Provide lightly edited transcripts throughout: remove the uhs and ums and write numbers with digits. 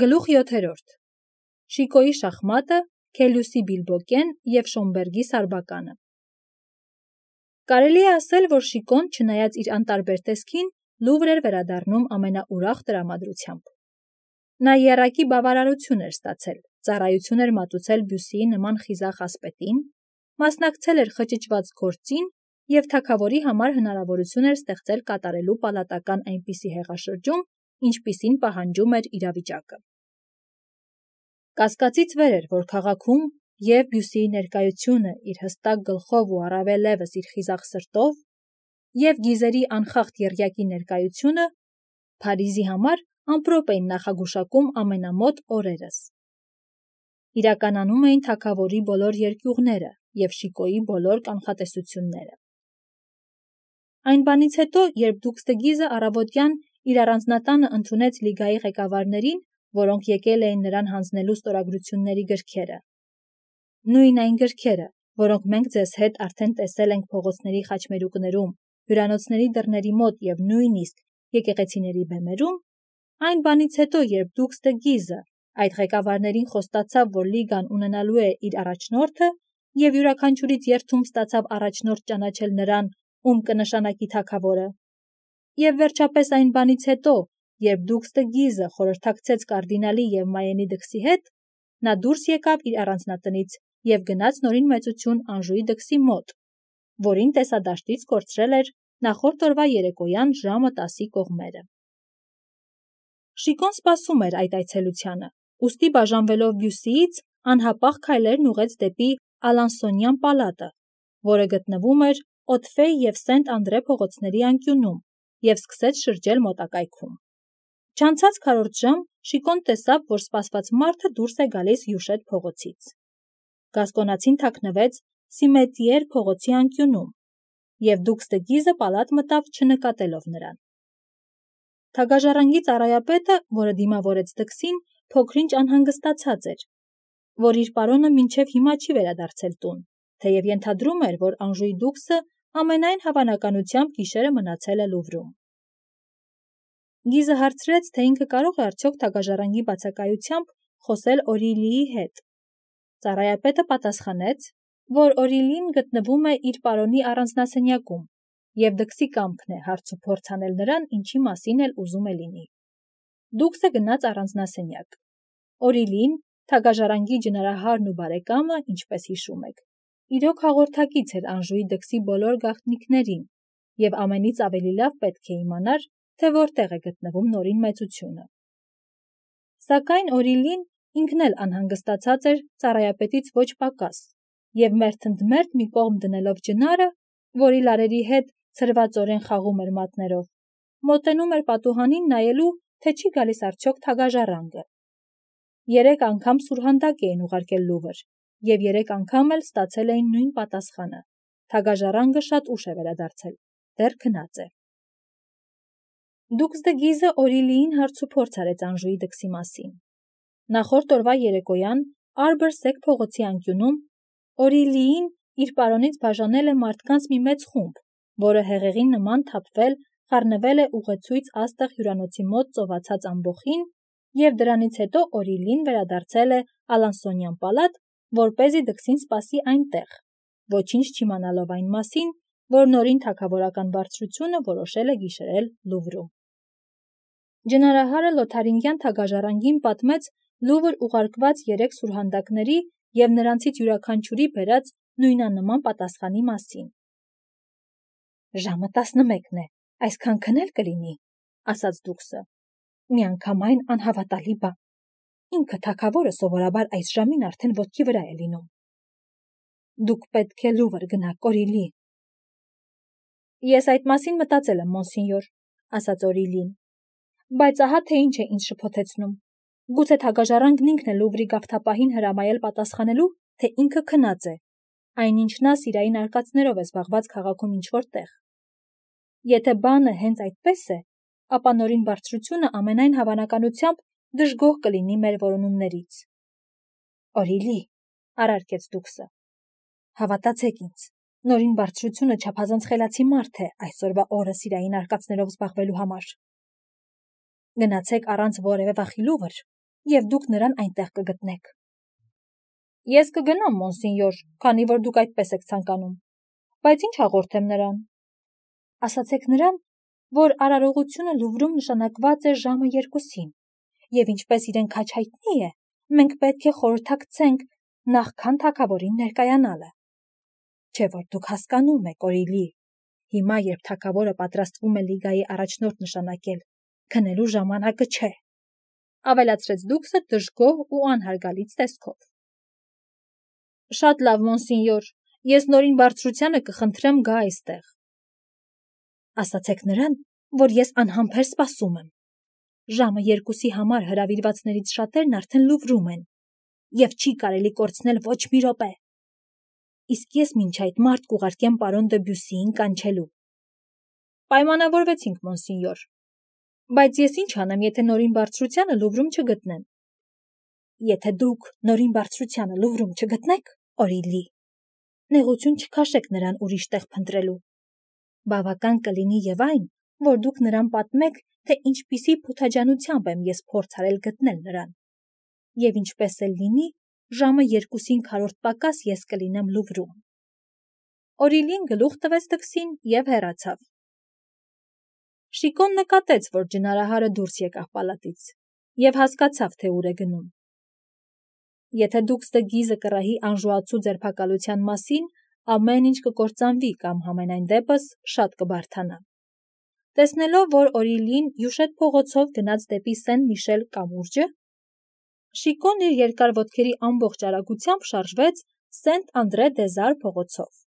Գլուխ 7. Շիկոյի շախմատը, Քելյուսի Բիլբոկեն և Շոմբերգի Սարբականը։ Կարելի է ասել, որ Շիկոն, չնայած իր անտարբեր տեսքին, Լուվր էր վերադառնում ամենաուրախ տրամադրությամբ։ Նա եռակի բավարարություն էր ստացել, ծառայություն էր մատուցել Բյուսիի նման խիզախ ասպետին, մասնակցել էր խճճված գործին և թագավորի համար հնարավորություն էր ստեղծել կատարելու պալատական այնպիսի հեղաշրջում, ինչպիսին պահանջում էր իրավիճակը։ Կասկածից վեր էր, որ քաղաքում և Բյուսիի ներկայությունը իր հստակ գլխով ու առավելևս իր խիզախ սրտով և Գիզերի անխախտ եռյակի ներկայությունը Փարիզի համար ամպրոպ էին նախագուշակում ամենամոտ օրերս։ Իրականանում էին թագավորի բոլոր երկյուղները և Շիկոյի բոլոր կանխատեսությունները։ Այն բանից հետո, երբ դուքս դը Գիզը առավոտյան իր առանձնատանը ընդունեց լիգայի ղեկավարներին, որոնք եկել էին նրան հանձնելու ստորագրությունների գրքերը։ Նույն այն գրքերը, որոնք մենք ձեզ հետ արդեն տեսել ենք փողոցների խաչմերուկներում, հյուրանոցների դռների մոտ և նույնիսկ եկեղեցիների բեմերում, այն բանից հետո, երբ դուքս դը Գիզը այդ ղեկավարներին խոստացավ, որ լիգան ունենալու է իր առաջնորդը և յուրաքանչյուրից երդում ստացավ առաջնորդ ճանաչել նրան, ում կնշանակի թագավորը, և վերջապես այն բանից հետո, երբ դուքս դը Գիզը խորհրդակցեց կարդինալի և Մայենի դքսի հետ, նա դուրս եկավ իր առանձնատնից և գնաց նորին մեծություն Անժուի դքսի մոտ, որին տեսադաշտից կորցրել էր նախորդ օրվա երեկոյան ժամը 10-ի կողմերը։ Շիկոն սպասում էր այդ այցելությանը, ուստի բաժանվելով Բյուսիից, անհապաղ քայլերն ուղղեց դեպի Ալանսոնյան պալատը, որը գտնվում էր Օդֆեյ և Սենտ Անդրե փողոցների անկյունում, և սկսեց շրջել մոտակայքում։ Չանցած քառորդ ժամ Շիկոն տեսավ, որ սպասված մարդը դուրս է գալիս Հյուշետ փողոցից։ Գասկոնացին թաքնվեց Սիմետիեր փողոցի անկյունում, և դուքս դը Գիզը պալատ մտավ չնկատելով նրան։ Թագաժառանգի ծառայապետը, որը դիմավորեց դքսին, փոքր-ինչ անհանգստացած էր, որ իր պարոնը մինչև հիմա չի վերադարձել տուն, թեև ենթադրում էր, որ Անժուի դուքսը ամենայն հավանականությամբ գիշերը մնացել է Լուվրում։ Գիզը հարցրեց, թե ինքը կարող է արդյոք թագաժառանգի բացակայությամբ խոսել Օրիլիի հետ։ Ծառայապետը պատասխանեց, որ Օրիլին գտնվում է իր պարոնի առանձնասենյակում, և դքսի կամքն է հարց ու փորձ անել նրան, ինչի մասին էլ ուզում է լինի։ Դուքսը գնաց առանձնասենյակ։ Օրիլին, թագաժառանգի ջնարահարն ու բարեկամը, ինչպես հիշում եք, իրոք հաղորդակից էր Անժուի դքսի բոլոր գաղտնիքներին, և ամենից ավելի լավ պետք է իմանար, թե որտեղ է գտնվում նորին մեծությունը։ Սակայն Օրիլին ինքն էլ անհանգստացած էր ծառայապետից ոչ պակաս, և մերթընդմերթ մի կողմ դնելով ջնարը, որի լարերի հետ ցրվածորեն խաղում էր մատներով, մոտենում էր պատուհանին նայելու, թե չի գալիս արդյոք թագաժառանգը։ 3 անգամ սուրհանդակ էին ուղարկել Լուվր, և 3 անգամ էլ ստացել էին նույն պատասխանը. թագաժառանգը շատ ուշ է վերադարձել, դեռ քնած է։ Դուքս դը Գիզը Օրիլիին հարցուփորձ արեց Անժուի դքսի մասին։ Նախորդ օրվա երեկոյան Արբր-Սեք փողոցի անկյունում Օրիլիին իր պարոնից բաժանել է մարդկանց մի մեծ խումբ, որը հեղեղի նման թափվել խառնվել է ուղեցույց աստղ հյուրանոցի մոտ ծովածած ամբոխին, և դրանից հետո Օրիլին վերադարձել է Ալանսոնյան պալատ, որպեսզի դքսին սպասի այնտեղ, ոչինչ չիմանալով այն մասին, որ նորին թագավորական բարձրությունը որոշել է գիշերել Լուվրում։ Ջնարահարը Լոթարինգյան թագաժառանգին պատմեց Լուվր ուղարկված 3 սուրհանդակների և նրանցից յուրաքանչյուրի բերած նույնանման պատասխանի մասին։ «Ժամը 11-ն է, այսքան քնել կլինի», ասաց դուքսը։ «Միանգամայն անհավատալի բան։ Ինքը թագավորը սովորաբար այս ժամին արդեն ոտքի վրա է լինում։ Դուք պետք է Լուվր գնաք, Օրիլի»։ «Ես այդ մասին մտածել եմ, մոնսինյոր», ասաց Օրիլին, «բայց ահա թե ինչ է ինձ շփոթեցնում։ Գուցե թագաժառանգն ինքն է Լուվրի գավթապահին հրամայել պատասխանելու, թե ինքը քնած է, այնինչ նա սիրային արկածներով է զբաղված քաղաքում ինչ-որ տեղ։ Եթե բանը հենց այդպես է, ապա նորին բարձրությունը ամենայն հավանականությամբ դժգոհ կլինի մեր որոնումներից»։ «Օրիլի», առարկեց դուքսը, «հավատացեք ինձ, նորին բարձրությունը չափազանց խելացի մարդ է այսօրվա օրը սիրային արկածներով զբաղվելու համար։ Գնացեք առանց որևէ վախի Լուվր եւ դուք նրան այնտեղ կգտնեք։ Ես կգնամ, մոնսինյոր, քանի որ դուք այդպես եք ցանկանում, բայց ինչ հաղորդեմ նրան։ Ասացեք նրան, որ արարողությունը Լուվրում նշանակված է ժամը 2-ին, եւ ինչպես իրեն քաջ հայտնի է, մենք պետք է խորհրդակցենք նախքան թագավորին ներկայանալը։ Չէ՞ որ դուք հասկանում եք, Օրիլի, հիմա երբ թագավորը պատրաստվում է լիգայի առաջնորդ նշանակել, քնելու ժամանակը չէ, ավելացրեց դուքսը դժգոհ ու անհարգալից տեսքով։ Շատ լավ, մոնսինյոր, ես նորին բարձրությանը կխնդրեմ գա այստեղ։ Ասացեք նրան, որ ես անհամբեր սպասում եմ։ Ժամը 2-ի համար հրավիրվածներից շատերն արդեն Լուվրում են, եւ չի կարելի կորցնել ոչ մի րոպե։ Իսկ ես մինչ այդ մարդ կուղարկեմ պարոն Դեբյուսիին կանչելու։ Պայմանավորվեցինք, մոնսինյոր, բայց ես ինչ անեմ, եթե նորին բարձրությանը Լուվրում չգտնեմ։ Եթե դուք նորին բարձրությանը Լուվրում չգտնեք, Օրիլի, նեղություն չքաշեք նրան ուրիշ տեղ փնտրելու։ Բավական կլինի եւ այն, որ դուք նրան պատմեք, թե ինչպիսի փութաջանությամբ եմ ես փորձ արել գտնել նրան։ Եվ ինչպես էլ լինի, ժամը 2-ին քառորդ պակաս ես կլինեմ Լուվրում։ Օրիլին գլուխ տվեց դքսին եւ հեռացավ։ Շիկոն նկատեց, որ ջնարահարը դուրս եկավ պալատից եւ հասկացավ, թե ուր է գնում։ Եթե դուք ստգիզը կռահի անժուացու ձերբակալության մասին, ամեն ինչ կկործանվի կամ համենայն դեպս շատ կբարթանա։ Տեսնելով, որ Օրիլին Յուշետ փողոցով գնաց դեպի Սեն-Միշել կամուրջը, Շիկոն իր երկար ոտքերի ամբողջ արագությամբ շարժվեց Սենտ-Անդրե-դե-Զար փողոցով։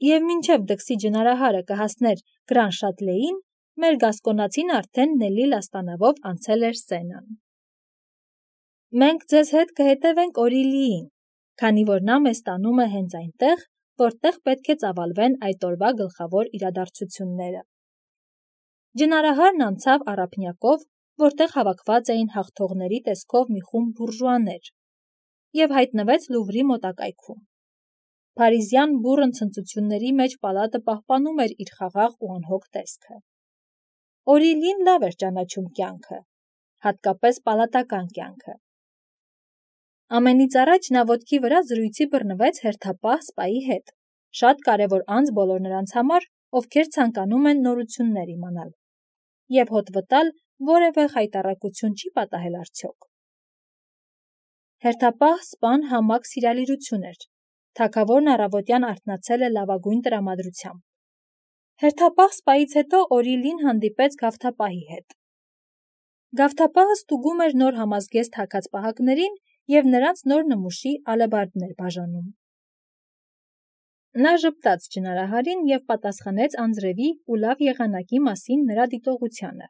Եվ մինչև դքսի ջնարահարը կհասներ Գրան Շատլեին, մեր գասկոնացին արդեն Նելի լաստանավով անցել էր Սենան։ Մենք ձեզ հետ կհետևենք Օրիլիին, քանի որ նա մեզ տանում է հենց այնտեղ, որտեղ պետք է ծավալվեն այդ օրվա գլխավոր իրադարձությունները։ Ջնարահարն անցավ առափնյակով, որտեղ հավաքված էին հաղթողների տեսքով մի խումբ բուրժուաներ, եւ հայտնվեց Լուվրի մոտակայքում։ Փարիզյան բուռն ցնծությունների մեջ պալատը պահպանում էր իր խաղաղ ու անհոգ տեսքը։ Օրիլին լավ էր ճանաչում կյանքը, հատկապես պալատական կյանքը։ Ամենից առաջ նա ոտքի վրա զրույցի բռնվեց հերթապահ սպայի հետ, շատ կարևոր անձ բոլոր նրանց համար, ովքեր ցանկանում են նորություններ իմանալ, եւ հոտ վտալ որևէ խայտառակություն չի պատահել արդյոք։ Հերթապահ սպան համակ սիրալիրություն էր, թագավորն առավոտյան արթնացել է լավագույն տրամադրությամբ։ Հերթապահ սպայից հետո Օրիլին հանդիպեց գավթապահի հետ։ Գավթապահը ստուգում էր նոր համազգեստ հագած պահակներին եւ նրանց նոր նմուշի ալեբարդներ բաժանում։ Նա ժպտաց ջնարահարին եւ պատասխանեց անձրևի ու լավ եղանակի մասին նրա դիտողությանը,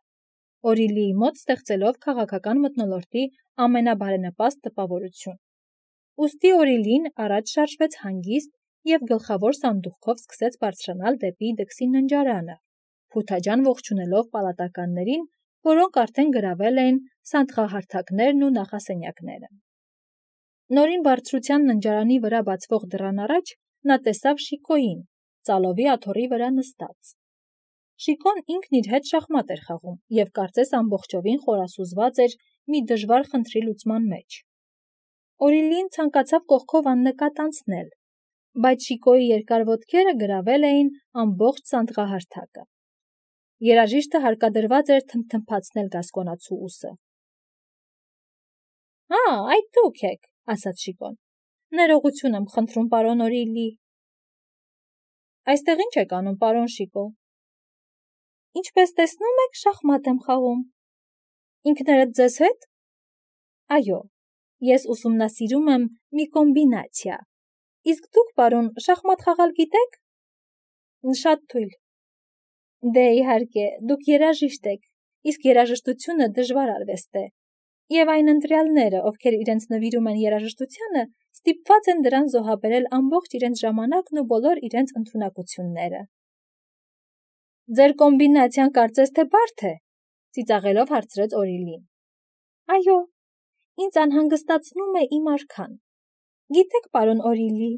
Օրիլիի մոտ ստեղծելով քաղաքական մթնոլորտի ամենաբարենպաստ տպավորություն։ Ուստի Օրիլին առաջ շարժվեց հանգիստ եւ գլխավոր սանդուղքով սկսեց բարձրանալ դեպի դքսի ննջարանը, փութաջան ողջունելով պալատականներին, որոնք արդեն գրավել էին սանդղահարթակներն ու նախասենյակները։ Նորին բարձրության ննջարանի վրա բացվող դռան առաջ նա տեսավ Շիկոյին, ծալովի աթոռի վրա նստած։ Շիկոն ինքն իր հետ շախմատ էր խաղում եւ կարծես ամբողջովին խորասուզված էր մի դժվար խնդրի լուծման մեջ։ Օրիլին ցանկացավ կողքով աննկատ անցնել, բայց Շիկոյի երկար ոտքերը գրավել էին ամբողջ սանդղահարթակը։ Երաժիշտը հարկադրված էր թմթմփացնել գասկոնացու ուսը։ Այդ դուք եք, ասաց Շիկոն։ Ներողություն եմ խնդրում, պարոն Օրիլի։ Այստեղ ինչ եք անում, պարոն Շիկո։ Ինչպես տեսնում եք, շախմատ եմ խաղում։ Ինքներդ ձեզ հետ։ Այո, ես ուսումնասիրում եմ մի կոմբինացիա։ Իսկ դուք, պարոն, շախմատ խաղալ գիտեք։ Շատ թույլ։ Դե իհարկե, դուք երաժիշտ եք, իսկ երաժշտությունը դժվար արվեստ է, եւ այն ընտրյալները, ովքեր իրենց նվիրում են երաժշտությանը, ստիպված են դրան զոհաբերել ամբողջ իրենց ժամանակն ու բոլոր իրենց ընդունակությունները։ Ձեր կոմբինացիան կարծես թե բարդ է, ծիծաղելով հարցրեց Օրիլին։ Այո, ինձ անհանգստացնում է իմ արքան։ Գիտեք, պարոն Օրիլի,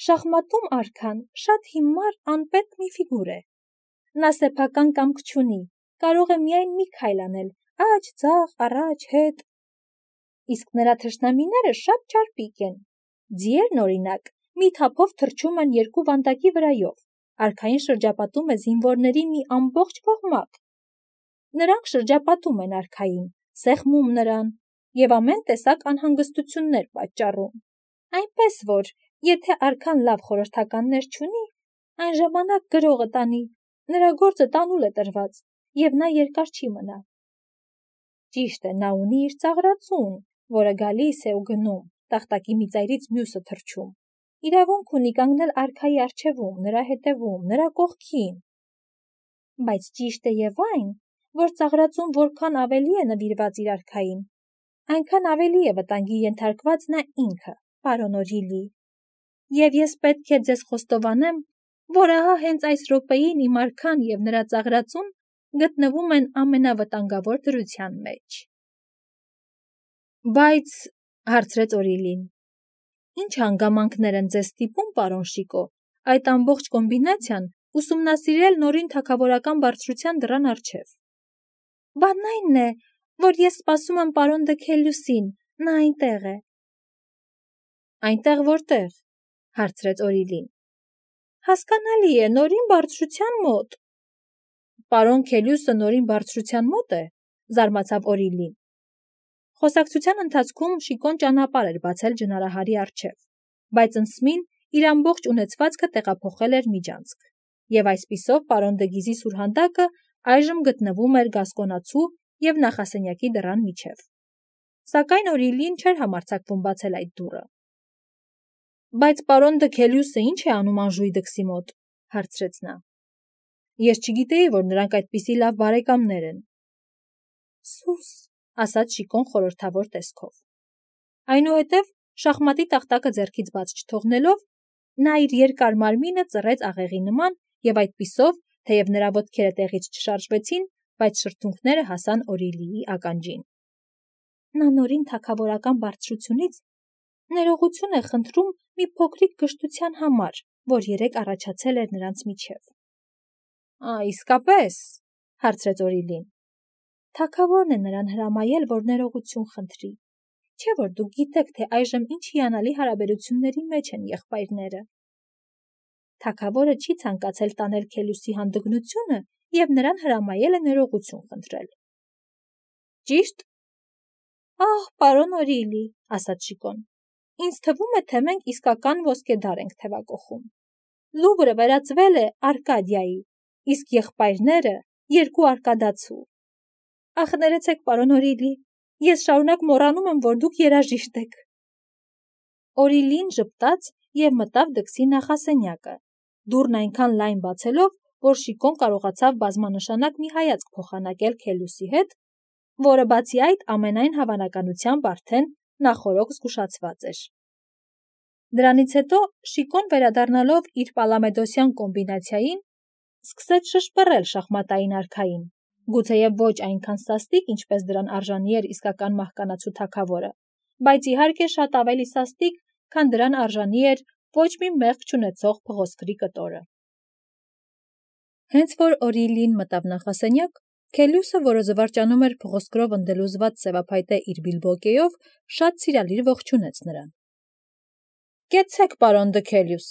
շախմատում արքան շատ հիմար անպետք մի ֆիգուր է։ Նա սեփական կամք չունի, կարող է միայն մի քայլ անել, աջ, ձախ, առաջ, հետ։ իսկ նրա թշնամիները շատ ճարպիկ են։ Ձիերն, օրինակ, մի թափով թռչում են երկու վանդակի վրայով, արքային շրջապատում է զինվորների մի ամբողջ կողմակ։ Նրանք շրջապատում են արքային, սեղմում նրան և ամեն տեսակ անհանգստություններ պատճառում։ Այնպես որ, եթե արքան լավ խորհրդականներ չունի, այն ժամանակ գրողը տանի, նրա գործը տանուլ է տրված, և նա երկար չի մնա։ Ճիշտ է, նա ունի իր ծաղրածուն, որը գալիս է ու գնում, տախտակի մի ծայրից մյուսը թռչում։ Իրավունք ունի կանգնել արքայի առջևում, նրա հետևում, նրա կողքին։ Բայց ճիշտ է և այն, որ ծաղրածուն որքան ավելի է նվիրված իր արքային, այնքան ավելի է վտանգի ենթարկված նա ինքը, պարոն Օրիլի։ Եվ ես պետք է ձեզ խոստովանեմ, որ ահա հենց այս րոպեին իմ արքան և նրա ծաղրածուն գտնվում են ամենավտանգավոր դրության մեջ։ Բայց, հարցրեց Օրիլին, ինչ հանգամանքներ են ձեզ ստիպում, պարոն Շիկո, այդ ամբողջ կոմբինացիան ուսումնասիրել նորին թագավորական բարձրության դռան առջև։ Բանն այնն է, որ ես սպասում եմ պարոն Դքելյուսին, նա այնտեղ է։ Այնտեղ որտեղ, հարցրեց Օրիլին։ Հասկանալի է, նորին բարձրության մոտ։ Պարոն Քելյուսը նորին բարձրության մոտ է, զարմացավ Օրիլին։ Խոսակցության ընթացքում Շիկոն ճանապարհ էր բացել ջնարահարի առջև, բայց ընսմին իր ամբողջ ունեցվածքը տեղափոխել էր միջանցք, և այսպիսով պարոն Դգիզի սուրհանդակը այժմ գտնվում էր Գասկոնացու և նախասենյակի դռան միջև։ Սակայն Օրիլին չէր համարձակվում բացել այդ դուռը։ Բայց պարոն Դքելյուսը ինչ է անում Անժուի դքսի մոտ, հարցրեց նա։ Ես չգիտեի, որ նրանք այդպիսի լավ բարեկամներ են։ Սուս, ասաց Շիկոն խորհրդավոր տեսքով։ Այնուհետև, շախմատի տախտակը ձեռքից բաց չթողնելով, նա իր երկար մարմինը ծռեց աղեղի նման և այդպիսով, թեև նրա ոտքերը տեղից չշարժվեցին, բայց շրթունքները հասան Օրիլիի ականջին։ Նա նորին թագավորական բարձրությունից ներողություն է խնդրում մի փոքրիկ գժտության համար, որ երեկ առաջացել էր նրանց միջև։ Իսկապես, հարցրեց Օրիլին։ Թագավորն է նրան հրամայել, որ ներողություն խնդրի։ Չէ՞ որ դուք գիտեք, թե այժմ ինչ հիանալի հարաբերությունների մեջ են եղբայրները։ Թագավորը չի ցանկացել տանել Քելյուսի հանդգնությունը և նրան հրամայել է ներողություն խնդրել։ Ճիշտ։ Ահ, պարոն Օրիլի, ասաց Շիկոն, ինձ թվում է, թե մենք իսկական ոսկեդար ենք թևակողում։ Լուվրը վերածվել է Արկադիայի, իսկ եղբայրները երկու արկադացու։ Ախ, ներեցեք, պարոն Օրիլի, ես շարունակ մոռանում եմ, որ դուք երաժիշտ եք։ Օրիլին ժպտաց և մտավ դքսի նախասենյակը, դուռն այնքան լայն բացելով, որ Շիկոն կարողացավ բազմանշանակ մի հայացք փոխանակել Քելյուսի հետ, որը բացի այդ ամենայն հավանականությամբ արդեն նախօրոք զգուշացված էր։ Դրանից հետո Շիկոն վերադառնալով իր պալամեդոսյան կոմբինացիային, սկսեց շշպռել շախմատային արքային, գուցեև ոչ այնքան սաստիկ, ինչպես դրան արժանի էր իսկական մահկանացու թագավորը, բայց իհարկե շատ ավելի սաստիկ, քան դրան արժանի էր ոչ մի մեղք չունեցող փղոսկրի կտորը։ Հենց որ Օրիլին մտավ նախասենյակ, Քելյուսը, որը զվարճանում էր փղոսկրով ընդելուզված սևափայտե իր բիլբոկեով, շատ սիրալիր ողջունեց նրան։ Կեցեք, պարոն Դքելյուս,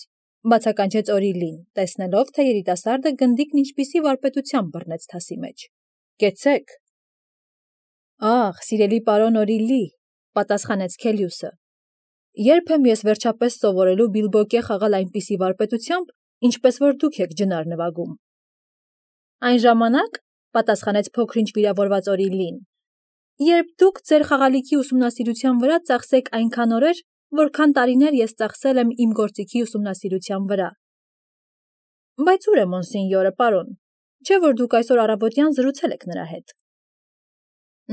բացականչեց Օրիլին, տեսնելով, թե երիտասարդը գնդիկն ինչպիսի վարպետությամբ բռնեց թասի մեջ։ Կեցեք։ Ահ, սիրելի պարոն Օրիլի, պատասխանեց Քելյուսը։ Երբ եմ ես վերջապես սովորելու բիլբոկե խաղալ այնպիսի վարպետությամբ, ինչպես որ դուք եք ջնար նվագում։ Այն ժամանակ, պատասխանեց փոքրինչ վիրավորված Օրիլին, երբ դուք ձեր խաղալիքի ուսումնասիրության վրա ծախսեք այնքան օրեր, որքան տարիներ ես ծախսել եմ իմ գործիքի ուսումնասիրության վրա։ Բայց ուր է մոնսենյորը, պարոն, չէ՞ որ դուք այսօր առավոտյան զրուցել եք նրա հետ։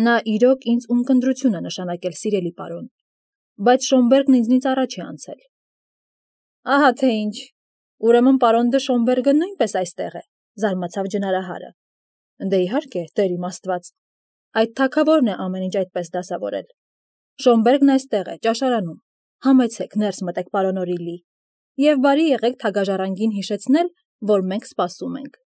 Նա իրոք ինձ ունկնդրություն է նշանակել, սիրելի պարոն, բայց Շոմբերգն ինձնից առաջ է անցել։ Ահա թե ինչ, ուրեմն պարոն դը Շոմբերգը նույնպես այստեղ է, զարմացավ ջնարահարը։ Դե իհարկե, Տեր իմ Աստված, այդ թագավորն է ամեն ինչ այդպես դասավորել։ Շոմբերգն այստեղ է, ճաշարանում, համեցեք, ներս մտեք, պարոն Օրիլի, և բարի եղեք թագաժառանգին հիշեցնել, որ մենք սպասում ենք։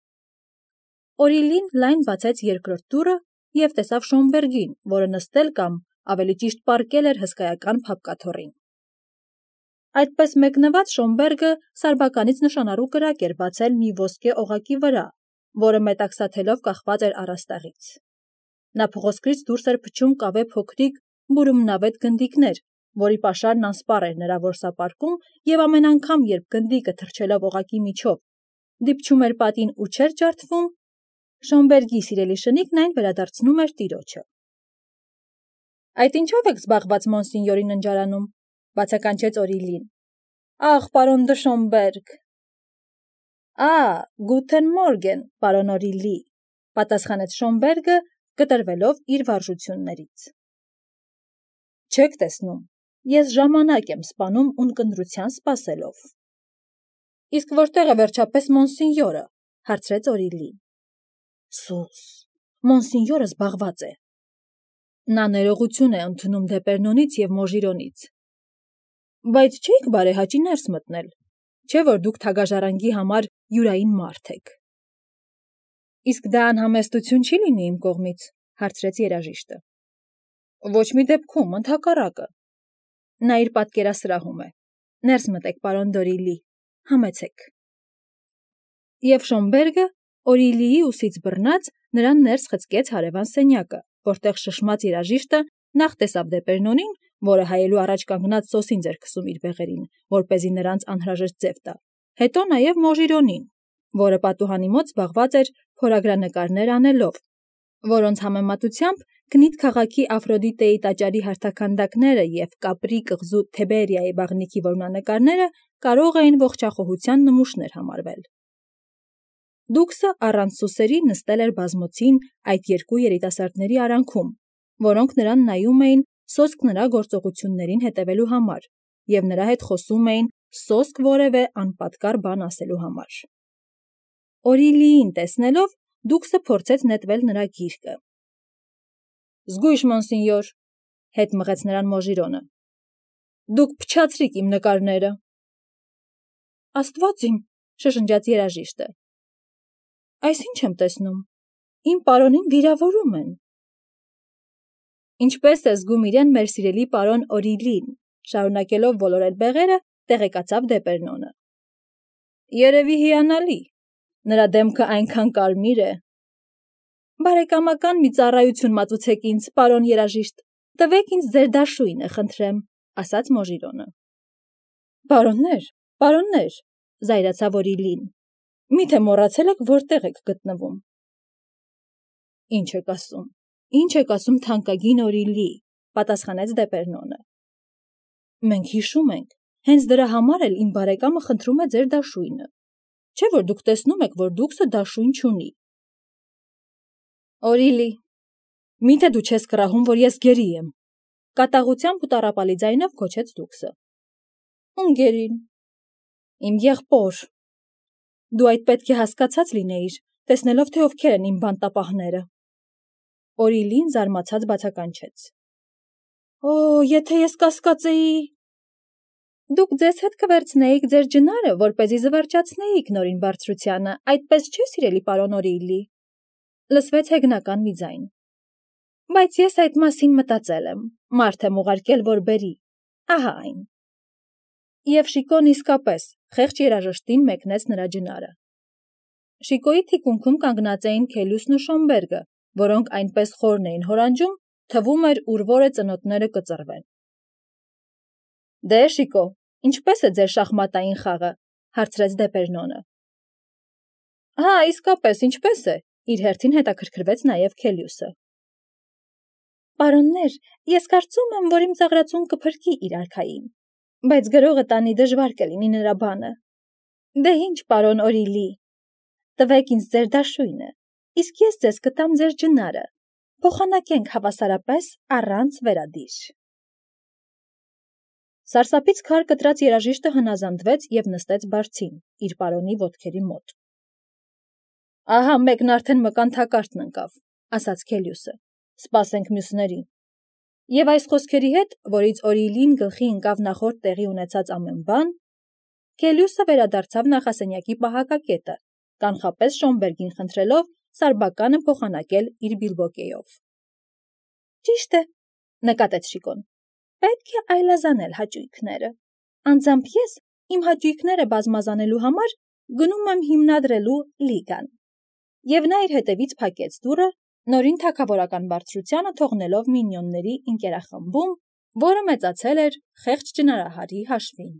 Օրիլին լայն բացեց երկրորդ դուռը և տեսավ Շոմբերգին, որը նստել կամ ավելի ճիշտ պառկել էր հսկայական փապկաթոռին։ Այդպես մեկնված Շոմբերգը սարբականից նշանառու կրակ էր բացել մի ոսկե օղակի վրա, որը մետաքսաթելով կախված էր առաստաղից։ Նա փղոսկրից դուրս էր փչում կավե փոքրիկ բուրումնավետ գնդիկներ, որի պաշարն անսպառ էր նրա որսապարկում, եւ ամեն անգամ, երբ գնդիկը թռչելով օղակի միջով դիպչում էր պատին ու չէր ջարդվում, Շոմբերգի սիրելի շնիկն այն վերադարձնում էր տիրոջը։ Այդ ինչով եք զբաղված մոնսինյորի ննջարանում, բացականչեց Օրիլին։ Ախ, պարոն դը Շոմբերգ։ Գութեն մորգեն, պարոն Օրիլի, պատասխանեց Շոմբերգը, կտրվելով իր վարժություններից։ Չեք տեսնում, ես ժամանակ եմ սպանում ունկնդրության սպասելով։ Իսկ որտեղ է վերջապես մոնսինյորը, հարցրեց Օրիլին։ Սուս, մոնսինյորը զբաղված է։ Նա ներողություն է ընդունում Դեպերնոնից եւ Մոժիրոնից։ Բայց չէիք բարեհաճի ներս մտնել, չէ՞ որ դուք թագաժարանգի համար յուրային մարդ եք։ Իսկ դա անհամեստություն չի լինի իմ կողմից, հարցրեց երաժիշտը։ Ոչ մի դեպքում, ընդհակառակը։ Նա իր պատկերասրահում է։ Ներս մտեք, պարոն Դորիլի, համեցեք։ Եվ Շոմբերգը, Օրիլիի ուսից բռնած, նրան ներս խցկեց հարևան սենյակը, որտեղ շշմած երաժիշտը նախ տեսավ Դեպերնոնին, որը հայելու առաջ կանգնած սոսինձ էր քսում իր բեղերին, որպեսզի նրանց անհրաժեշտ ձև տա, հետո նաև Մոժիրոնին, որը պատուհանի մոտ զբաղված էր փորագրանկարներ անելով, որոնց համեմատությամբ Գնիթ քաղաքի Աֆրոդիտեի տաճարի հարթաքանդակները և Կապրի կղզու Թեբերիայի բաղնիքի որմնանկարները կարող էին ողջախոհության նմուշներ համարվել։ Դուքսը առանց սուսերի նստել էր բազմոցին այդ երկու երիտասարդների արանքում, որոնք նրան նայում էին սոսկ նրա գործողություններին հետևելու համար և նրա հետ խոսում էին սոսկ որևէ անպատկար բան ասելու համար։ Օրիլիին տեսնելով Դուքսը փորձեց նետվել նրա գիրկը։ Զգույշ, մոնսինյոր, հետ մղեց նրան Մոժիրոնը։ Դուք փչացրիք իմ նկարները։ Աստված իմ, շշնջաց երաժիշտը։ Այս ինչ եմ տեսնում։ Իմ պարոնին վիրավորում են։ Ինչպես է զգում իրեն մեր սիրելի պարոն Օրիլին, շարունակելով ոլորել բեղերը, տեղեկացավ Դեպերնոնը։ Երևի հիանալի, նրա դեմքը այնքան կարմիր է։ Բարեկամական մի ծառայություն մատուցեք ինձ, պարոն երաժիշտ, տվեք ինձ ձեր դաշույնը, խնդրեմ, ասաց Մոժիրոնը։ Պարոններ, զայրացավ Օրիլին, միթե մոռացել եք որտեղ եք գտնվում։ Ինչ եք ասում թանկագին Օրիլի, պատասխանեց Դեպերնոնը։ Մենք հիշում ենք, հենց դրա համար էլ իմ բարեկամը խնդրում է ձեր դաշույնը, չէ՞ որ դուք տեսնում եք, որ Դուքսը դաշույն չունի։ Օրիլի, միթե դու չես կռահում, որ ես գերի եմ, կատաղությամբ ու տառապալի ձայնով գոչեց Դուքսը։ Ում գերին։ Իմ եղբոր։ Դու այդ պետք է հասկացած լինեիր, տեսնելով, թե ովքեր են իմ բանտապահները։ Օրիլին զարմացած բացականչեց։ Օ, եթե ես կասկածեի։ Դուք ձեզ հետ կվերցնեիք ձեր ջնարը, որպեսզի զվարճացնեիք նորին բարձրությանը, այդպես չէ, սիրելի պարոն Օրիլի։ Լսվեց հեգնական մի ձայն։ Բայց ես այդ մասին մտածել եմ, մարդ եմ ուղարկել, որ բերի, ահա այն։ Եվ Շիկոն իսկապես խեղճ երաժշտին մեկնեց նրա ջնարը։ Շիկոյի թիկունքում կանգնած էին Քելյուսն ու Շոմբերգը, որոնք այնպես խորն էին հորանջում, թվում էր ուր-որ է ծնոտները կծռվեն։ Դե Շիկո, ինչպես է ձեր շախմատային խաղը, հարցրեց Դեպերնոնը։ Հա, իսկապես, ինչպես է, իր հերթին հետաքրքրվեց նաև Քելյուսը։ Պարոններ, ես կարծում եմ, որ իմ ծաղրածուն կփրկի իր արքային, բայց գրողը տանի դժվար կլինի նրա բանը։ Դե ինչ, պարոն Օրիլի, տվեք ինձ ձեր դաշույնը, իսկ ես ձեզ կտամ ձեր ջնարը, փոխանակենք հավասարապես առանց վերադիր։ Սարսափից քար կտրած երաժիշտը հնազանդվեց և նստեց բարձին, իր պարոնի ոտքերի մոտ։ Ահա մեկն արդեն մկան թակարդն ընկավ, ասաց Քելյուսը, սպասենք մյուսներին։ Եվ այս խոսքերի հետ, որից Օրիլին գլխի ընկավ նախորդ տեղի ունեցած ամեն բան, Քելյուսը վերադարձավ նախասենյակի պահակակետը, կանխապես Շոմբերգին խնդրելով սարբականը փոխանակել իր բիլբոկեով։ Ճիշտ է, նկատեց Շիկոն։ Պետք է այլազանել հաճույքները։ Անձամբ ես իմ հաճույքները բազմազանելու համար գնում եմ հիմնադրելու լիգան։ Եվ նա իր հետևից փակեց դուռը, նորին թագավորական բարձրությանը թողնելով մինիոնների ընկերախմբում, որը մեծացել էր խեղճ ճնարահարի հաշվին։